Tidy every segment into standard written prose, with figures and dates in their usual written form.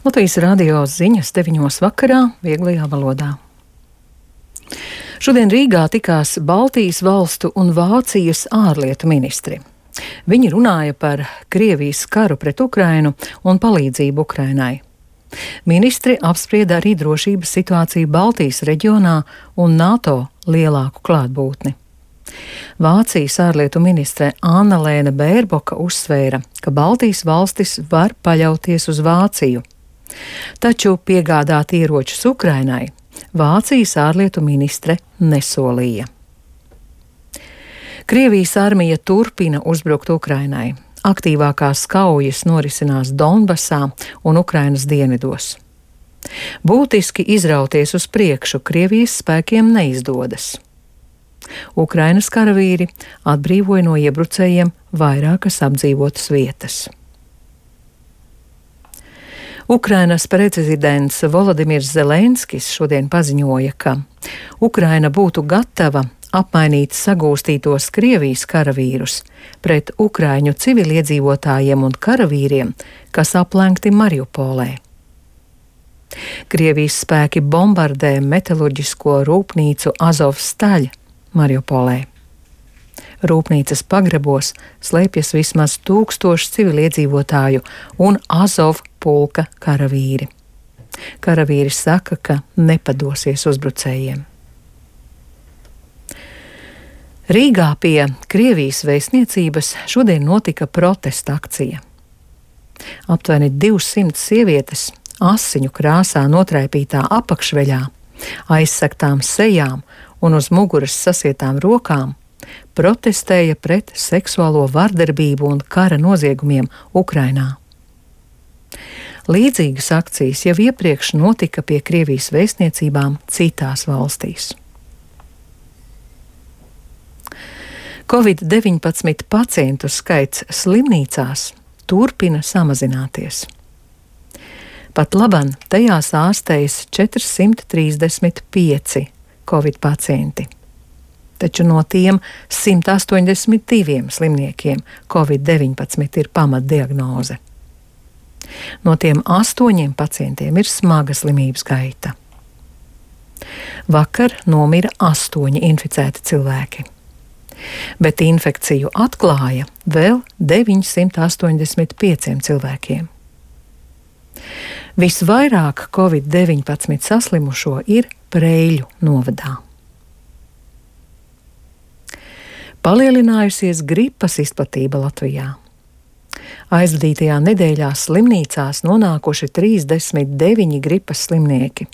Latvijas radio ziņas 9 vakarā vieglajā valodā. Šodien Rīgā tikās Baltijas valstu un Vācijas ārlietu ministri. Viņi runāja par Krievijas karu pret Ukrainu un palīdzību Ukrainai. Ministri apsprieda arī drošības situāciju Baltijas reģionā un NATO lielāku klātbūtni. Vācijas ārlietu ministre Annalēna Bērboka uzsvēra, ka Baltijas valstis var paļauties uz Vāciju. Taču piegādāt ieročus Ukrainai Vācijas ārlietu ministre nesolīja. Krievijas armija turpina uzbrukt Ukrainai. Aktīvākās kaujas norisinās Donbasā un Ukrainas dienvidos. Būtiski izrauties uz priekšu Krievijas spēkiem neizdodas. Ukrainas karavīri atbrīvoja no iebrucējiem vairākas apdzīvotas vietas. Ukrainas prezidents Volodimirs Zelenskis šodien paziņoja, ka Ukraina būtu gatava apmainīt sagūstītos Krievijas karavīrus pret ukraiņu civiliedzīvotājiem un karavīriem, kas aplenkti Mariupolē. Krievijas spēki bombardē metalurģisko rūpnīcu Azovstaļ Mariupolē. Rūpnīcas pagrebos slēpjas vismaz 1000 civiliedzīvotāju un Azov pulka karavīri. Karavīri saka, ka nepadosies uzbrucējiem. Rīgā pie Krievijas vēstniecības šodien notika protesta akcija. Aptuveni 200 sievietes asiņu krāsā notraipītā apakšveļā, aizsegtām sejām un uz muguras sasietām rokām protestēja pret seksuālo vardarbību un kara noziegumiem Ukrainā. Līdzīgas akcijas jau iepriekš notika pie Krievijas vēstniecībām citās valstīs. Covid-19 pacientu skaits slimnīcās turpina samazināties. Pat labam tajās ārstējas 435 Covid pacienti. Taču no tiem 182 slimniekiem Covid-19 ir pamatdiagnoze. No tiem 8 pacientiem ir smaga slimības gaita. Vakar nomira 8 inficēti cilvēki, bet infekciju atklāja vēl 985 cilvēkiem. Visvairāk Covid-19 saslimušo ir Preļu novadā. Palielinājusies gripas izplatība Latvijā. Aizvadītajā nedēļā slimnīcās nonākuši 39 gripas slimnieki.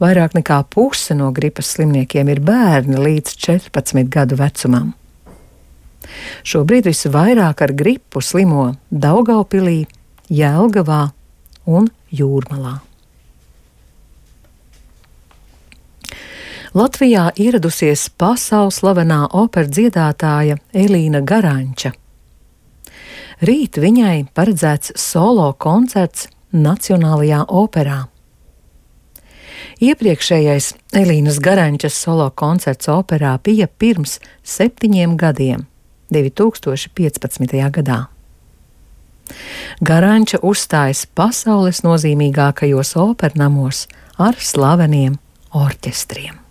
Vairāk nekā puse no gripas slimniekiem ir bērni līdz 14 gadu vecumam. Šobrīd visvairāk ar gripu slimo Daugavpilī, Jelgavā un Jūrmalā. Latvijā ieradusies pasaules slavenā operas dziedātāja Elīna Garanča. Rīt viņai paredzēts solo koncerts Nacionālajā operā. Iepriekšējais Elīnas Garančas solo koncerts operā bija pirms 7 gadiem, 2015. gadā. Garanča uzstājas pasaules nozīmīgākajos opernamos ar slaveniem orķestriem.